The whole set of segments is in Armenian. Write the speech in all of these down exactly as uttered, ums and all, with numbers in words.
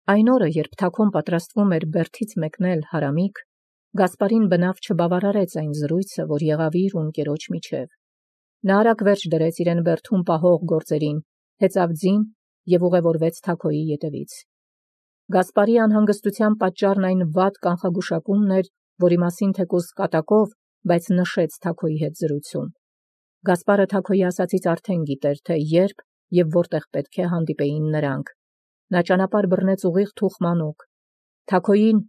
Այն օրը, երբ Թաքուն պատրաստվում էր բերդից մեկնել Հարամիկ, Գասպարին բնավ չբավարարեց այն զրույցը, որ եղավ իր ու ընկերոջ միջև։ Նա արագ վերջ դրեց իրեն բերդում պահող գործերին, հեծավ ձին և ուղևորվեց Թաքոյի ետևից։ Գասպարի անհանգստության պատճառն այն վատ կանխագուշակումն էր, որի մասին թեկուզ կատակով, բայց նշեց Թաքոյի հետ զրույցում։ Գասպարը Թաքոյի ասածից արդեն գիտեր, թե երբ և որտեղ պետք է հանդիպեին նրանք։ Նա ճանապարհ բռնեց ուղիղ Թուխմանուկ։ Թաքոյին,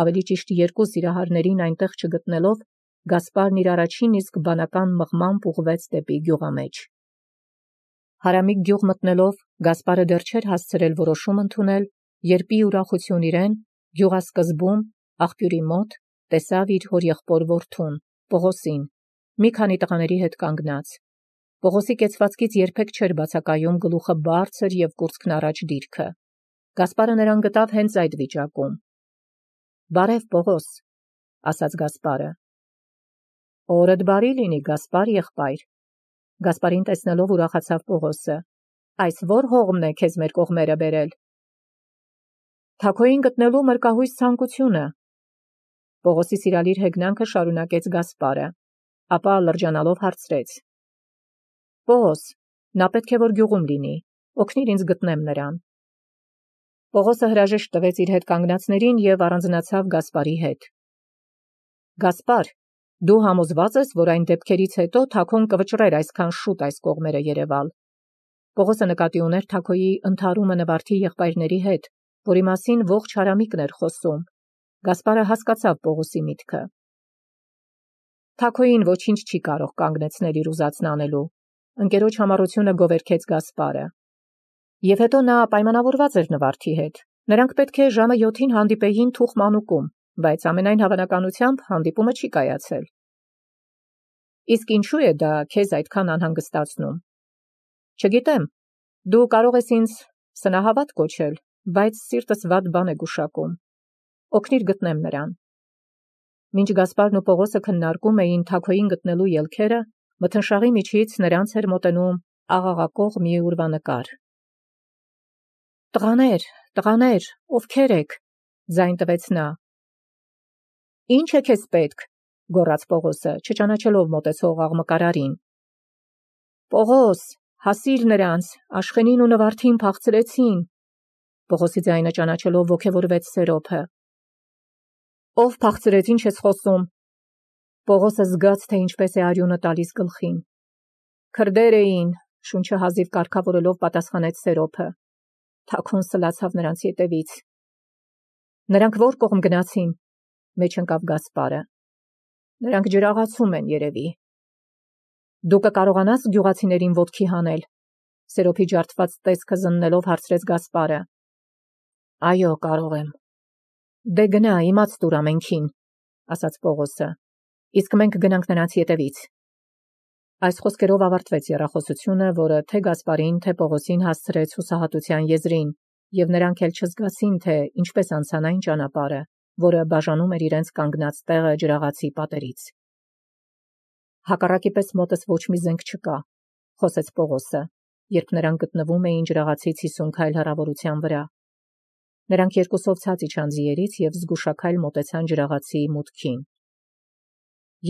ավելի ճիշտ երկու սիրահարներին այնտեղ չգտնելով, Գասպարն իր առաջին իսկ բանական մղմամբ ուղղվեց դեպի գյուղամեջ։ Հարամիկ գյուղ մտնելով, Գասպարը դեռ չէր հասցրել որոշում ընդունել, երբ ի ուրախություն իրեն գյուղասկզբում աղբյուրի մոտ տեսավ իր հորեղբոր որդուն, Պողոսին, մի քանի տղաների հետ կանգնած։ Պողոսի կեցվածքից երբեք չէր բացակայում գլուխը բարձր և կուրծքն առաջ դիրքը։ Գասպարը նրան գտավ հենց այդ վիճակում։ «Բարև, Պողոս», ասաց Գասպարը։ «Օրդ բարի լինի, Գասպար եղբայր»։ Գասպարին տեսնելով ուրախացավ Պողոսը։ «Այս ո՞ր հողմն է քեզ մեր կողմերը բերել»։ «Թաքոյին գտնելու մրկահույս ցանկությունը», Պողոսի սիրալիր հեգնանքը շարունակեց Գասպարը, ապա լրջանալով հարցրեց. «Պողոս, նա պետք է որ գյուղում լինի, օգնիր ինձ գտնեմ նրան»։ Պողոսը հրաժեշտ տվեց իր հետ կանգնածներին և առանձնացավ Գասպարի հետ։ «Գասպար, դու համոզված ես, որ այն դեպքերից հետո Թաքոն կվճռեր այսքան շուտ այս կողմերը երևալ»։ Պողոսը նկատի ուներ Թաքոյի ընդհարումը նվարդի եղբայրների հետ, որի մասին ողջ Հարամիկն էր խոսում։ Գասպարը հասկացավ Պողոսի միտքը։ «Թաքոյին ոչինչ չի կարող կանգնեցնել իր ուզածն անելու», ընկերոջ համառությունը գովերգեց Գասպարը։ «Եվ հետո նա պայմանավորված էր նվարդի հետ։ Նրանք պետք է ժամը յոթին հանդիպեին Թուխմանուկում, բայց ամենայն հավանականությամբ հանդիպումը չի կայացել»։ «Իսկ ինչու է դա քեզ այդքան անհանգստացնում»։ «Չգիտեմ, դու կարող ես ինձ սնահավատ կոչել, բայց սիրտս վատ բան է գուշակում։ Օգնիր գտնեմ նրան»։ Մինչ Գասպարն ու Պողոսը քննարկում էին Թաքոյին գտնելու ելքերը, մթնշաղի միջից նրանց էր մոտենում աղաղակող մի ուրվանկար։ «Տղաներ, տղաներ, ովքեր եք», ձայն տվեց նա։ «Ի՞նչ է քեզ պետք», գոռաց Պողոսը, չճանաչելով մոտեցող աղմկարարին։ «Պողոս, հասիր նրանց, Աշխենին ու Նվարդին փախցրեցին», Պողոսի ձայնը ճանաչելով ոգևորվեց Սերոփը։ «Ով փախցրեց, ինչ ես խոսում»։ Պողոսը զգաց, թե ինչպես է արյունը տալիս գլխին։ «Քրդեր էին», շունչը հազիվ կարգավորելով պատասխանեց Սերոփը։ Թաքուն սլացավ նրանց ետևից։ «Նրանք ո՞ր կողմ գնացին», մեջ ընկավ Գասպարը։ «Նրանք ջրաղացում են երևի»։ «Դու կկարողանաս գյուղացիներին ոտքի հանել», Սերոփի ջարդված տեսքը զննելով հարցրեց Գասպարը։ «Այո, կարող եմ»։ «Դե գնա, իմաց տուր ամենքին», ասաց Պողոսը։ «Իսկ մենք գնանք նրանց ետևից»։ Այս խոսքերով ավարտվեց եռախոսությունը, որը թե Գասպարին, թե Պողոսին հասցրեց հուսահատության եզրին, և նրանք էլ չզգացին, թե ինչպես անցան այն ճանապարհը, որը բաժանում էր իրենց կանգնած տեղը ջրաղացի պատերից։ «Հակառակի պես մոտս ոչ մի զենք չկա», խոսեց Պողոսը, երբ նրանք գտնվում էին ջրաղացից հիսուն քայլ հեռավորության վրա։ Նրանք երկուսով ցած իջան ձիերից և զգուշաքայլ մոտեցան ջրաղացի մուտքին։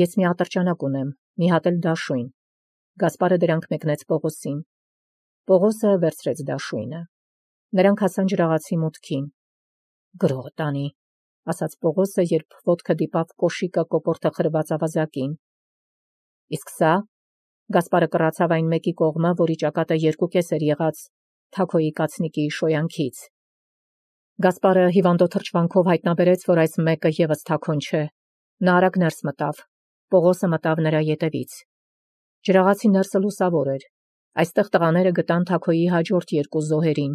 «Ես մի ատրճանակ ունեմ, մի հատ էլ դաշույն», Գասպարը դրանք մեկնեց Պողոսին։ Պողոսը վերցրեց դաշույնը։ Նրանք հասան ջրաղացի մուտքին։ «Գրող տանի», ասաց Պողոսը, երբ ոտքը դիպավ կոշիկը կոկորդը խրված ավազակին։ «Իսկ սա»։ Գասպարը կռացավ այն մեկի կողմը, որի ճակատը երկու կես էր եղած Թաքոյի կացնիկի շոյանքից։ Գասպարը հիվանդո թրջվանքով հայտնաբերեց, որ այս մեկը ևս Թաքոն չէ։ Նա արագ ներս մտավ։ Պողոսը մտավ նրա ետևից։ Ջրաղացի ներսը լուսավոր էր։ Այստեղ տղաները գտան Թաքոյի հաջորդ երկու զոհերին։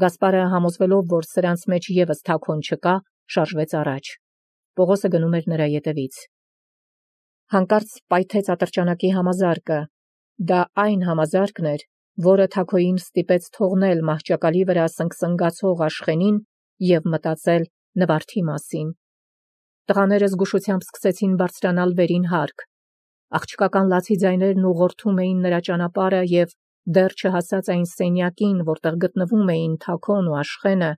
Գասպարը, համոզվելով, որ սրանց մեջ ևս Թաքոն չկա, շարժվեց առաջ։ Պողոսը գնում էր նրա ետևից։ Հանկարծ պայթեց ատրճանակի համազարկը։ Դա այն համազարկն էր, որը Թաքոյին ստիպեց թողնել մահճակալի վրա սնգսնգացող Աշխենին և մտածել Նվարդի մասին։ Տղաները զգուշությամբ սկսեցին բարձրանալ վերին հարկ։ Աղջկական լացի ձայներն ուղղորդում էին նրա ճանապարհը և դեռ չհասած այն սենյակին, որտեղ գտնվում էին Թաքոն ու Աշխենը,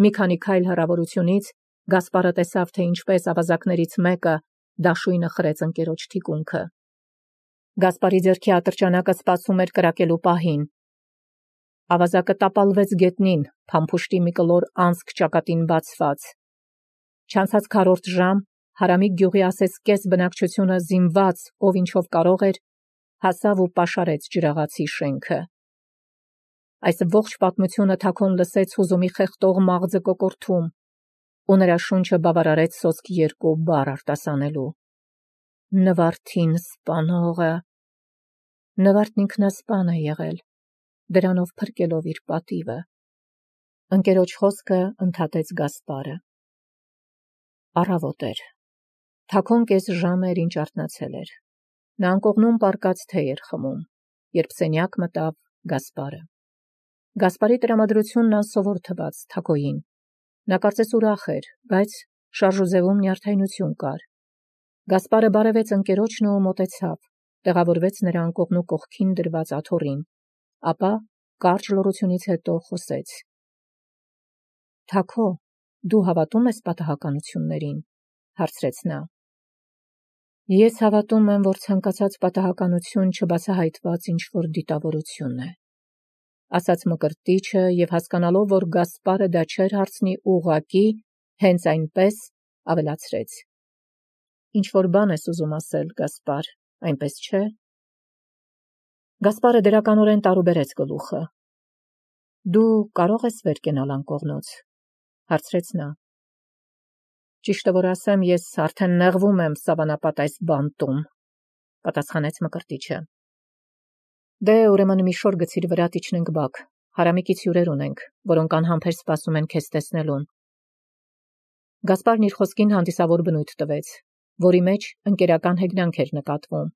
Մի քանի քայլ հեռավորությունից Գասպարը տեսավ, թե ինչպես ավազակներից մեկը դաշույնը խրեց ընկերոջ թիկունքը։ Գասպարի ձեռքի ատրճանակը սպասում էր կրակելու պահին։ Ավազակը տապալվեց գետնին, փամփուշտի մի կլոր անցք ճակատին բացված։ Չանցած քառորդ ժամ Հարամիկ գյուղի ասես բնակչությունը զինված, ով ինչով կարող էր, հասավ ու պաշարեց ջրաղացի շենքը։ Այս ողջ պատմությունը Թաքոն լսեց հուզումի խեղդող մաղձը կոկորթում, ու նրա շունչը բավարարեց սոսկ երկու բառ արտասանելու. Նվարդին սպանողը։ Նվարդն ինքնասպան է եղել, դրանով փրկելով իր պատիվը։ Ընկերոջ խոսքը ընդհատեց Գասպարը։ Առավոտ էր։ Թաքոն կես ժամ էր, ինչ արթնացել էր։ Նա անկողնում պառկած թեյ էր խմում, երբ սենյակ մտավ Գասպարը։ Գասպարի տրամադրությունն անսովոր թվաց Թաքոյին։ Նա կարծես ուրախ էր, բայց շարժուձևում նյարդայնություն կար։ Գասպարը բարևեց ընկերոջն ու մոտեցավ, տեղավորվեց նրա անկողնու կողքին դրված աթոռին, ապա կարճ լռությունից հետո խոսեց. Թաքո, դու հավատում ես պատահականություններին, հարցրեց նա։ Ես հավատում եմ, որ ցանկացած պատահականություն չբացահայտված ինչ-որ դիտավորություն է, ասաց Մկրտիչը և հասկանալով, որ Գասպարը դա չէր հարցնի ուղղակի, հենց այնպես ավելացրեց. Ինչ-որ բան ես ուզում ասել, Գասպար, այնպես չէ։ Գասպարը դրականորեն տարուբերեց գլուխը։ Դու կարող ես վեր կենալ անկողնոց, հարցրեց նա։ Ճիշտը որ ասեմ, ես արդեն նեղվում եմ սավանապատ այս բանտում, պատասխանեց Մկրտիչը։ Դե ուրեմն մի շոր գցիր վրա իջնենք բակ, Հարամիկից հյուրեր ունենք, որոնք անհամբեր սպասում են քեզ տեսնելուն։ Գասպարն իր խոսքին հանդիսավոր բնույթ տվեց, որի մեջ ընկերական հեգնանք էր նկատվում։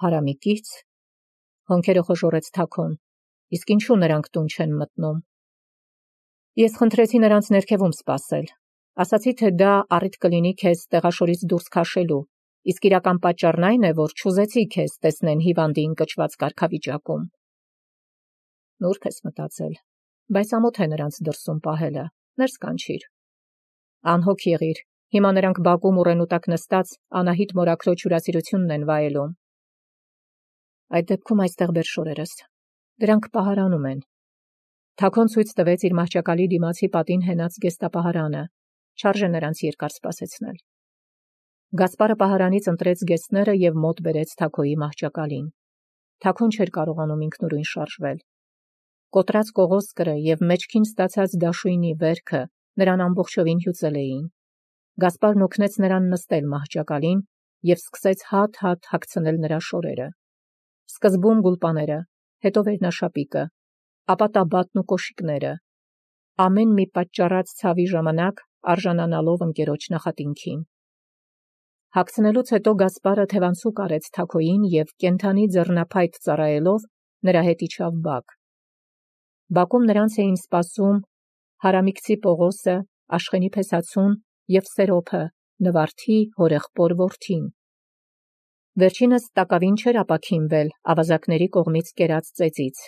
Հարամիկից, հոնքերը խոժոռեց Թաքոն, իսկ ինչու նրանք տուն չեն մտնում։ Ես խնդրեցի նրանց ներքևում սպասել, ասացի, թե դա առիթ կլինի քեզ տեղաշորից դուրս քաշելու, իսկ իրական պատճառն այն է, որ չուզեցի քեզ տեսնեն հիվանդի ընկճված կարգավիճակում։ Նուրբ ես մտածել, բայց ամոթ է նրանց դրսում պահելը, ներս կանչիր։ Անհոգ եղիր, հիմա նրանք բակում ուռենու տակ նստած Անահիտ մորաքրոջ հյուրասիրությունն են վայելում։ Այդ դեպքում այստեղ բեր շորերս, դրանք պահարանում են։ Թաքոն ցույց տվեց իր մահճակալի դիմացի պատին հենած գեստապահարանը, չարժե նրանց երկար սպասեցնել։ Գասպարը պահարանից ընտրեց գեստները և մոտ բերեց Թաքոյի մահճակալին։ Թաքոն չէր կարողանում ինքնուրույն շարժվել։ Կոտրած կողոսկրը և մեջքին ստացած դաշույնի վերքը նրան ամբողջովին հյուծել էին։ Գասպարն օգնեց նրան նստել մահճակալին և սկսեց հատ-հատ հագցնել նրա շորերը։ Սկզբում գուլպաները, հետո վերնաշապիկը, ապա տաբատն ու կոշիկները, ամեն մի պատճառած ցավի ժամանակ արժանանալով ընկերոջ նախատինքին։ Հագցնելուց հետո Գասպարը թևանցուկ արեց Թաքոյին և կենդանի ձեռնափայտ ծառայելով նրա հետ իջավ բակ։ Բակում նրանց էին սպասում Հարամիկցի Պողոսը, Աշխենի Փեսացուն և Սերոփը, Նվարդի հորեղբոր որդին։ Վերջինս տակավին չէր ապաքինվել ավազակների կողմից կերած ծեծից։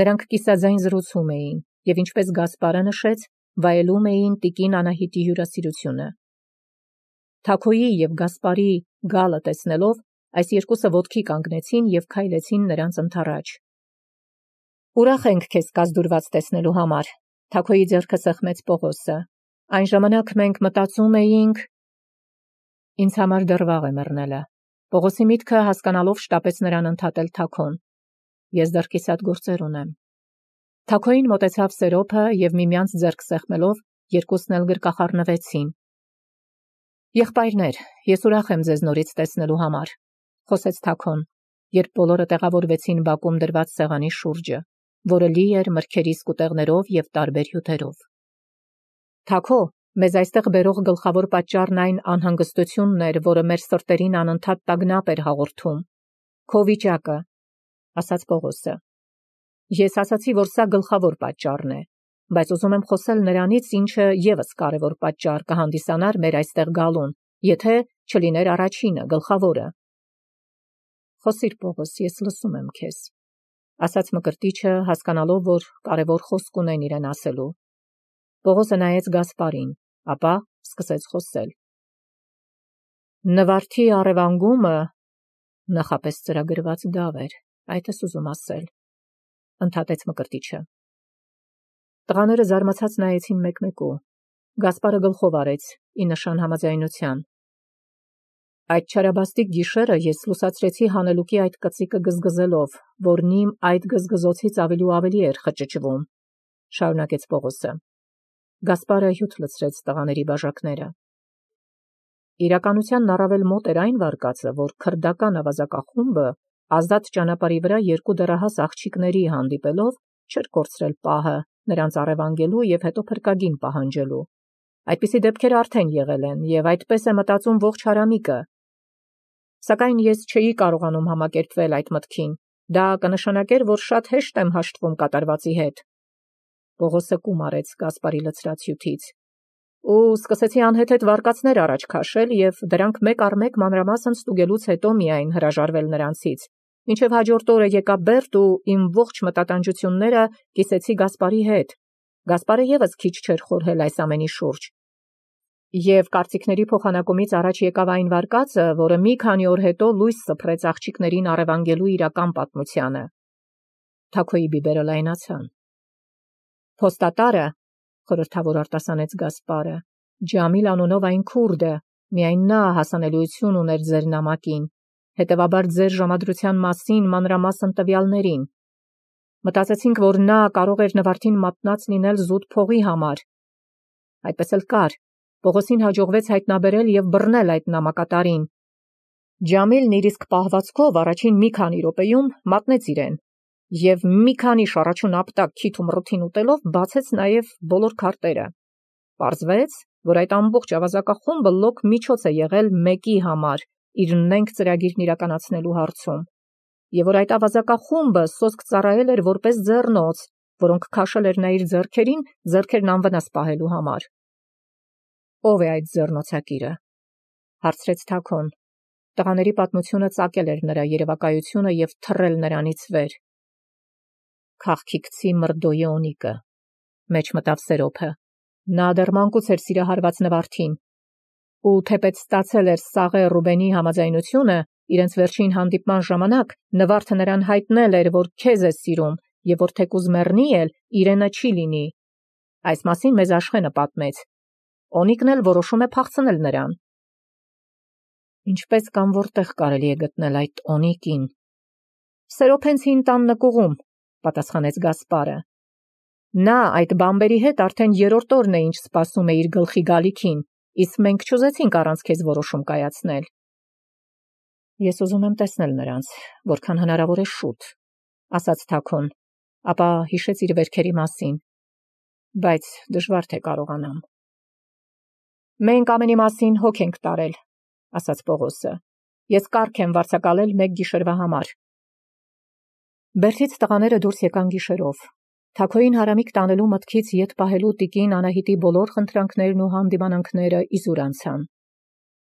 Նրանք կիսաձայն զրուցում էին և, ինչպես Գասպարը նշեց, վայելում էին տիկին Անահիտի հյուրասիրությունը։ Թաքոյի և Գասպարի գալը տեսնելով, այս երկուսը ոտքի կանգնեցին և քայլեցին նրանց ընդառաջ։ Ուրախ ենք քեզ կազդուրված տեսնելու համար, Թաքոյի ձեռքը սեղմեց Պողոսը։ Այն ժամանակ մենք մտածում էինք… Ինձ համար դեռ վաղ է մեռնելը։ Պողոսի միտքը հասկանալով շտապեց նրան ընդհատել Թաքոն։ Ես դեռ կիսատ գործեր ունեմ։ Թաքոյին մոտեցավ Սերոփը և միմյանց ձեռք սեղմելով երկուսն էլ գրկախառնվեցին։ Եղբայրներ, ես ուրախ եմ ձեզ նորից տեսնելու համար, խոսեց Թաքոն, երբ բոլորը տեղավորվեցին բակում դրված սեղանի շուրջը, որը լի էր մրգերի սկուտեղներով և տարբեր հյութերով։ Թաքո, մեզ այստեղ բերող գլխավոր պատճառն այն անհանգստությունն էր, որը մեր սրտերին անընդհատ տագնապ էր հաղորդում։ Քո վիճակը, ասաց Պողոսը։ Ես ասացի, որ սա գլխավոր պատճառն է, բայց ուզում եմ խոսել նրանից, ինչը ևս կարևոր պատճառ կհանդիսանար մեր այստեղ գալուն, եթե չլիներ առաջինը, գլխավորը։ Խոսիր, Պողոս, ես լսում եմ քեզ, ասաց Մկրտիչը, հասկանալով, որ կարևոր խոսք ունեն իրեն ասելու։ Պողոսը նայեց Գասպարին, ապա սկսեց խոսել. Նվարդի առևանգումը նախապես ծրագրված դավ էր, այդ ես ուզում ասել, ընդհատեց Մկրտիչը։ Տղաները զարմացած նայեցին մեկ-մեկու, Գասպարը գլխով արեց, ի նշան համաձայնության։ Այդ չարաբաստիկ գիշերը ես լուսացրեցի հանելուկի այդ կծիկը գզգզելով, որն իմ այդ գզգզոցից ավելի ու ավելի էր խճճվում, շարունակեց Պողոսը։ Գասպարը հյութ լցրեց տղաների բաժակները։ Իրականությանն առավել մոտ էր այն վարկածը, որ քրդական ավազակախումբը ազատ ճանապարհի վրա երկու դեռահաս աղջիկների հանդիպելով չէր կորցրել պահը նրանց առևանգելու և հետո փրկագին պահանջելու։ Այդպիսի դեպքեր արդեն եղել են, և այդպես է մտածում ողջ հարամիկը։ Սակայն ես չէի կարողանում համակերպվել այդ մտքին, դա կնշանակեր, որ շատ հեշտ եմ հաշտվում կատարվածի հետ։ Պողոսը կում արեց Գասպարի լցրած հյութից։ Ու սկսեցի անհեթեթ վարկածներ առաջ քաշել և դրանք մեկ առ մեկ մանրամասն ստուգելուց հետո միայն հրաժարվել նրանցից, մինչև հաջորդ օրը եկա Բերդ ու իմ ողջ մտատանջությունները կիսեցի Գասպարի հետ։ Գասպարը ևս քիչ չէր խորհել այս ամենի շուրջ։ Եվ կարծիքների փոխանակումից առաջ եկավ այն վարկածը, որը մի քանի օր հետո լույս սփռեց աղջիկներին առևանգելու իրական պատմությանը։ Թաքոյի բիբերը լայնացան։ Փոստատարը, խորհրդավոր արտասանեց Գասպարը, Ջամիլ անունով այն քուրդը, միայն նա հասանելիություն ուներ ձեր նամակին, հետևաբար ձեր ժամադրության մասին մանրամասն տվյալներին։ Մտածեցինք, որ նա կարող էր Նվարդին մատնած լինել զուտ փողի համար։ Այդպես էլ կար։ Պողոսին հաջողվեց հայտնաբերել և բռնել այդ նամակատարին։ Ջամիլն իր իսկ պահվածքով առաջին մի քանի րոպեում մատնեց իրեն, և մի քանի շառաչուն ապտակ քիթ ու մռութին ուտելով բացեց նաև բոլոր քարտերը։ Պարզվեց, որ այդ ամբողջ ավազակախումբը լոկ միջոց է եղել մեկի համար իր նենգ ծրագիրն իրականացնելու հարցում, և որ այդ ավազակախումբը սոսկ ծառայել էր որպես ձեռնոց, որոնք քաշել էր նա իր ձեռքերին, ձեռքերն անվնաս պահելու համար։ Ո՞վ է այդ ձեռնոցակիրը, հարցրեց Թաքոն։ Տղաների պատմությունը ծակել էր նրա երևակայությունը և թռել նրանից վեր։ Քաղքիքցի Մրդոյի Օնիկը, մեջ մտավ Սերոփը։ Նա դեռ մանկուց էր սիրահարված Նվարդին, ու թեպետ ստացել էր Սաղե Ռուբենի համաձայնությունը, իրենց վերջին հանդիպման ժամանակ Նվարդը նրան հայտնել էր, որ քեզ է սիրում, և որ թեկուզ մեռնի էլ, իրենը չի լինի։ Այս մասին մեզ Աշխենը պատմեց։ Օնիկն էլ որոշում է փախցնել նրան։ Ինչպես կամ որտեղ կարելի է գտնել այդ Օնիկին։ Սերոփենցին տան նկուղում, պատասխանեց Գասպարը։ Նա այդ բամբերի հետ արդեն երրորդ օրն է ինչ սպասում է իր գլխի գալիքին, իսկ մենք չուզեցինք առանց քեզ որոշում կայացնել։ Ես ուզում եմ տեսնել նրանց, որքան հնարավոր է շուտ, ասաց Թաքոն, ապա հիշեց իր վերքերի մասին, բայց դժվար թե կարողանամ։ Մենք ամենի մասին հոգ ենք տարել, ասաց Պողոսը։ Ես կարգ եմ վարձակալել մեկ գիշերվա համար։ Բերդից տղաները դուրս եկան գիշերով։ Թաքոյին հարամիկ տանելու մտքից ետ պահելու տիկին Անահիտի բոլոր խնդրանքներն ու հանդիմանանքները իզուր անցան։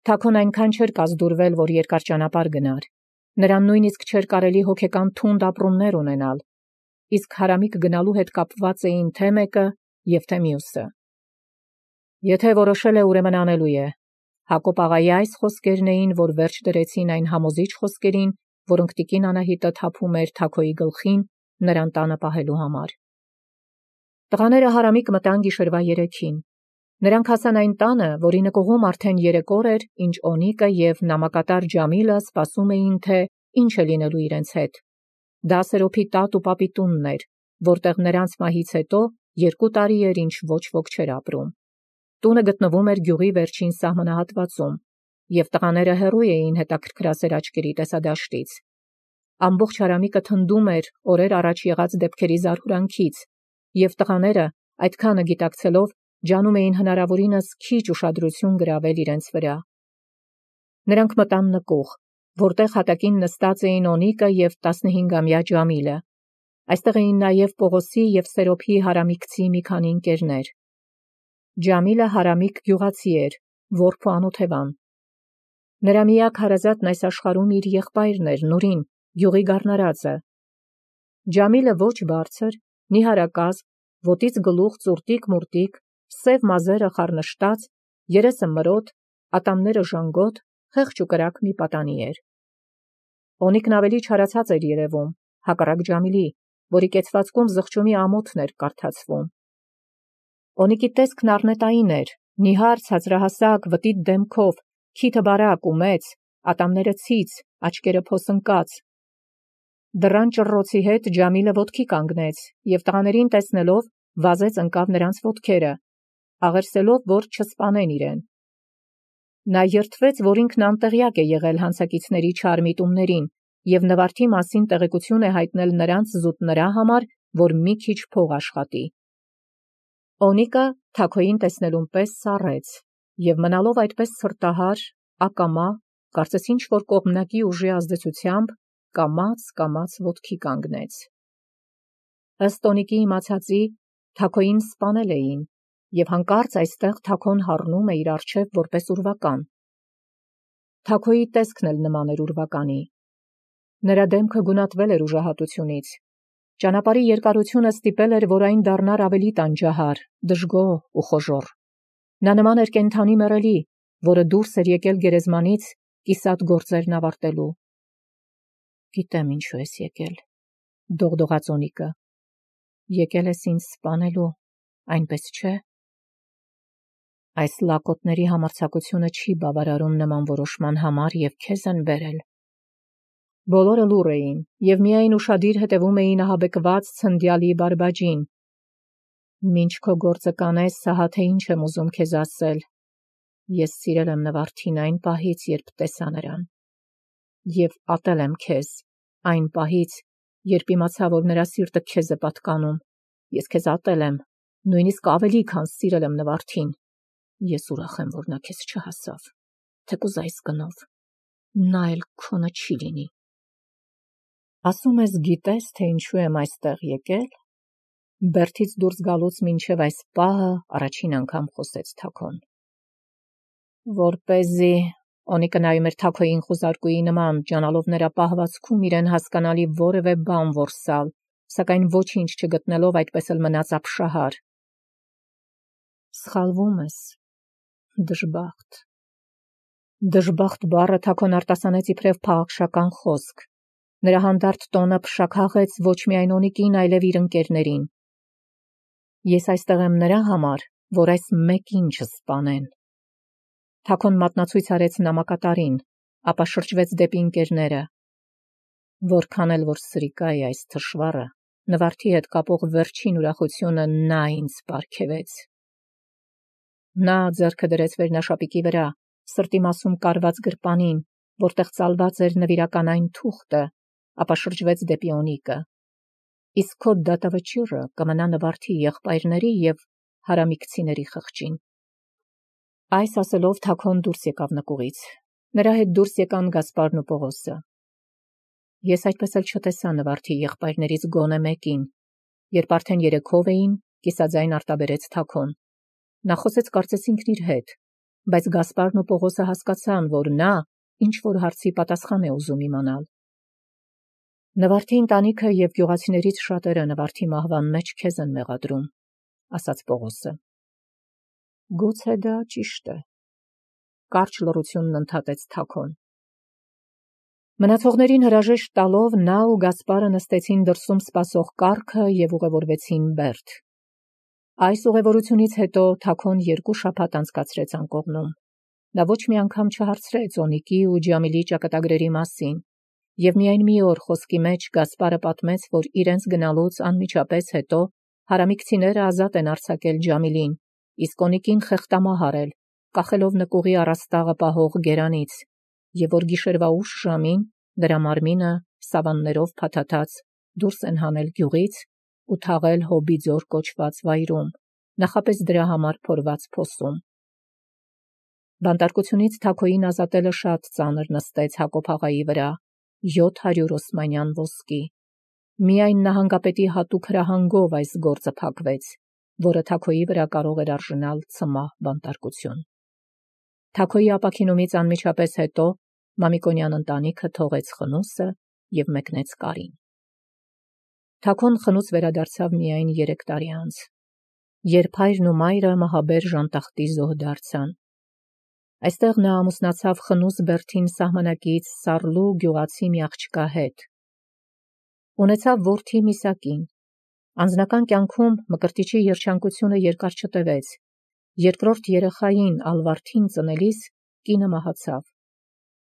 Թաքոն այնքան չէր կազդուրվել, որ երկար ճանապարհ գնար։ Նրան նույնիսկ չէր կարելի հոգեկան թունդ ապրումներ ունենալ, իսկ հարամիկ գնալու հետ կապված էին թե մեկը և թե մյուսը։ Եթե որոշել է, ուրեմն անելու է։ Հակոբ աղայի այս խոսքերն էին, որ վերջ դրեցին այն համոզիչ խոսքերին, որոնք տիկին Անահիտը թափում էր Թաքոյի գլխին նրան տանը պահելու համար։ Տղաները հարամիկ մտան գիշերվա երեքին։ Նրանք հասան այն տանը, որի նկուղում արդեն երեք օր էր, ինչ Օնիկը և նամակատար Ջամիլը սպասում էին, թե ինչ է լինելու իրենց հետ։ Դա Սերոփի տատ ու պապի տունն էր, որտեղ նրանց մահից հետո երկու տարի էր, ինչ ոչ ոք չէր ապրում։ Տունը գտնվում էր գյուղի վերջին սահմանահատվածում, և տղաները հեռու էին հետաքրքրասեր աչքերի տեսադաշտից։ Ամբողջ հարամիկը թնդում էր օրեր առաջ եղած դեպքերի զարհուրանքից, և տղաները, այդքանը գիտակցելով, ջանում էին հնարավորինս քիչ ուշադրություն գրավել իրենց վրա։ Նրանք մտան նկուղ, որտեղ հատակին նստած էին Օնիկը և տասնհինգամյա Ջամիլը։ Այստեղ էին նաև Պողոսի և Սերոփի հարամիկցի մի քանի ընկերներ։ Ջամիլը հարամիկ գյուղացի էր, որբ ու անօթևան։ Նրա միակ հարազատն այս աշխարհում իր եղբայրն էր, Նուրին, գյուղի գառնարածը։ Ջամիլը ոչ բարձր, նիհարակազմ, ոտից գլուխ ծուրտիկ-մուրտիկ, սև մազերը խառնշտած, երեսը մրոտ, ատամները ժանգոտ, խեղճ ու կրակ մի պատանի էր։ Օնիկն ավելի չարացած էր երևում, հակառակ Ջամիլի, որի կեցվածքում զղջումի ամոթն էր կարդացվում։ Օնիկի տեսքն առնետային էր, նիհար ցածրահասակ վտիտ դեմքով, քիթը բարակ ու մեծ, ատամները ցից, աչքերը փոսնկած։ Դռան ճռռոցի հետ Ջամիլը ոտքի կանգնեց և տղաներին տեսնելով վազեց ընկավ նրանց ոտքերը, աղերսելով, որ չսպանեն իրեն։ Նա երդվեց, որ ինքն անտեղյակ է եղել հանցակիցների չար միտումներին և նվարդի մասին տեղեկություն է հայտնել նրանց զուտ նրա համար, որ մի քիչ փող աշխատի։ Օնիկը Թաքոյին տեսնելուն պես սառեց և մնալով այդպես սրտահար, ակամա, կարծես ինչ-որ կողմնակի ուժի ազդեցությամբ, կամաց-կամաց ոտքի կանգնեց։ Ըստ Օնիկի իմացածի, Թաքոյին սպանել էին, և հանկարծ այստեղ Թաքոն հառնում է իր առջև որպես ուրվական։ Թաքոյի տեսքն էլ նման էր ուրվականի։ Նրա դեմքը գունատվել էր ուժահատությունից։ Ճանապարհի երկարությունը ստիպել էր, որ այն դառնար ավելի տանջահար, դժգոհ ու խոժոռ։ Նա նման էր կենդանի մեռելի, որը դուրս էր եկել գերեզմանից կիսատ գործերն ավարտելու։ Գիտեմ ինչու ես եկել, դողդողաց Օնիկը։ Եկել ես ինձ սպանելու, այնպես չէ։ Այս լակոտների համարձակությունը չի բավարարում նման որոշման համար և քեզ են բերել։ Բոլորը լուռ էին և միայն ուշադիր հետևում էին ահաբեկված ցնդյալի բարբաջին։ Մինչ քո գործը կանես, ահա թե ինչ եմ ուզում քեզ ասել։ Ես սիրել եմ Նվարդին այն պահից, երբ տեսա նրան։ Եվ ատել եմ քեզ այն պահից, երբ իմացա, որ նրա սիրտը քեզ է պատկանում։ Ես քեզ ատել եմ, նույնիսկ ավելի, քան սիրել եմ Նվարդին։ Ես ուրախ եմ, որ նա քեզ չհասավ, թեկուզ այս գնով, նա էլ քոնը չի լինի։ Ասում ես գիտես, թե ինչու եմ այստեղ եկել։ Բերդից դուրս գալուց մինչև այս պահը առաջին անգամ խոսեց Թաքոն։ Որպեսզի Օնիկը նայում էր Թաքոյին խուզարկուի նման, ջանալով նրա պահվածքում իրեն հասկանալի որևէ բան որսալ, սակայն ոչինչ չգտնելով այդպես էլ մնաց ապշահար։ Սխալվում ես, դժբախտ։ Դժբախտ բառը Թաքոն արտասանեց իբրև փաղաքշական խոսք։ Նրա հանդարտ տոնը փշաքաղեց ոչ միայն Օնիկին, այլև իր ընկերներին։ Ես այստեղ եմ նրա համար, որ այս մեկին չսպանեն։ Թաքոն մատնացույց արեց նամակատարին, ապա շրջվեց դեպի ընկերները։ Որքան էլ որ սրիկա է այս թշվառը, Նվարդի հետ կապող վերջին ուրախությունը նա ինձ պարգևեց։ Նա ձեռքը դրեց վերնաշապիկի վրա, սրտի մասում կարված գրպանին, որտեղ ծալված էր նվիրական այն թուղթը, ապա շրջվեց դեպի Օնիկը։ Իսկ քո դատավճիռը կմնա Նվարդի եղբայրների և հարամիկցիների խղճին։ Այս ասելով Թաքոն դուրս եկավ նկուղից։ Նրա հետ դուրս եկան Գասպարն ու Պողոսը։ Ես այդպես էլ չտեսա Նվարդի եղբայրներից գոնե մեկին։ Երբ արդեն երեքով էին, կիսաձայն արտաբերեց Թաքոն։ Նա խոսեց կարծես ինքն իր հետ, բայց Գասպարն ու Պողոսը հասկացան, որ նա ինչ-որ հարցի պատասխան է ուզում իմանալ։ Նվարդի ընտանիքը և գյուղացիներից շատերը Նվարդի մահվան մեջ քեզ են մեղադրում, ասաց Պողոսը։ Գուցե դա ճիշտ է, կարճ լռությունն ընդհատեց Թաքոն։ Մնացողներին հրաժեշտ տալով նա ու Գասպարը նստեցին դրսում սպասող կառքը և ուղևորվեցին Բերդ։ Այս ուղևորությունից հետո Թաքոն երկու շաբաթ անցկացրեց անկողնում։ Նա ոչ մի անգամ չհարցրեց Օնիկի ու Ջամիլի ճակատագրերի մասին, և միայն մի օր խոսքի մեջ Գասպարը պատմեց, որ իրենց գնալուց անմիջապես հետո հարամիկցիները ազատ են արձակել Ջամիլին, իսկ Օնիկին խեղդամահ արել, կախելով նկուղի առաստաղը պահող գերանից, և որ գիշերվա ուշ ժամին նրա մարմինը սավաններով փաթաթած դուրս են հանել գյուղից ու թաղել Հոբի ձոր կոչված վայրում, նախապես դրա համար փորված փոսում։ Բանտարկությունից Թաքոյին ազատելը շատ ծանր նստեց Հակոբ աղայի վրա, յոթ հարյուր օսմանյան ոսկի։ Միայն նահանգապետի հատուկ հրահանգով այս գործը փակվեց, որը Թաքոյի վրա կարող էր արժանալ ցմահ բանտարկություն։ Թաքոյի ապաքինումից անմիջապես հետո Մամիկոնյան ընտանիքը թողեց խնուսը և մեկնեց կարին։ Թաքոն խնուց վերադարձավ միայն երեք տարի անց։ երբ հայրն ու մայրը մահաբեր ժանտախտի զոհ դարձան։ Այստեղ նա ամուսնացավ Խնուս Բերդին սահմանակից Սառլու գյուղացի մի աղջկա հետ։ Ունեցավ որդի Միսակին։ Անձնական կյանքում Մկրտիչի երջանկությունը երկար չտևեց։ Երկրորդ երեխային Ալվարդին ծնելիս կինը մահացավ։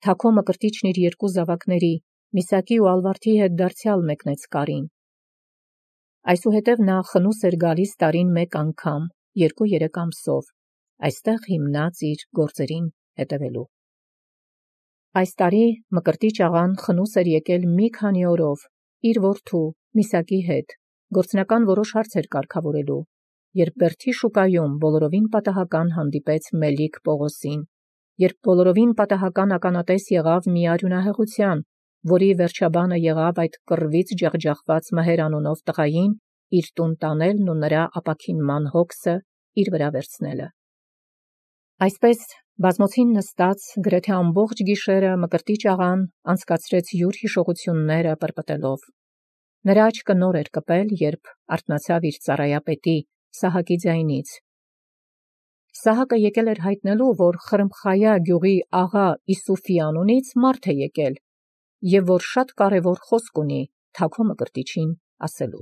Թաքո Մկրտիչն իր երկու զավակների Միսակի ու Ալվարդի հետ դարձյալ մեկնեց կարին։ Այսուհետև նա Խնուս էր գալիս տարին մեկ անգամ, երկու-երեք ամսով, այստեղ հիմնած իր գործերին հետևելու։ Այս տարի Մկրտիչ աղան Խնուս էր եկել մի քանի օրով իր որդու Միսակի հետ գործնական որոշ հարցեր կարգավորելու, երբ Բերդի շուկայում բոլորովին պատահական հանդիպեց Մելիք Պողոսին, երբ բոլորովին պատահական ականատես եղավ մի արյունահեղության, որի վերջաբանը եղավ այդ կռվից ջախջախված Մհեր անունով տղային իր տուն տանելն ու նրա ապաքինման հոգսը իր վրա վերցնելը։ Այսպես բազմոցին նստած գրեթե ամբողջ գիշերը Մկրտիչ աղան անցկացրեց յուր հիշողությունները պրպտելով։ Նրա աչքը նոր էր կպել, երբ արթնացավ իր ծառայապետի Սահակի ձայնից։ Սահակը եկել էր հայտնելու, որ Խրմխայա գյուղի աղա Իսուֆի անունից մարդ է եկել, և որ շատ կարևոր խոսք ունի Թաքո Մկրտիչին ասելու։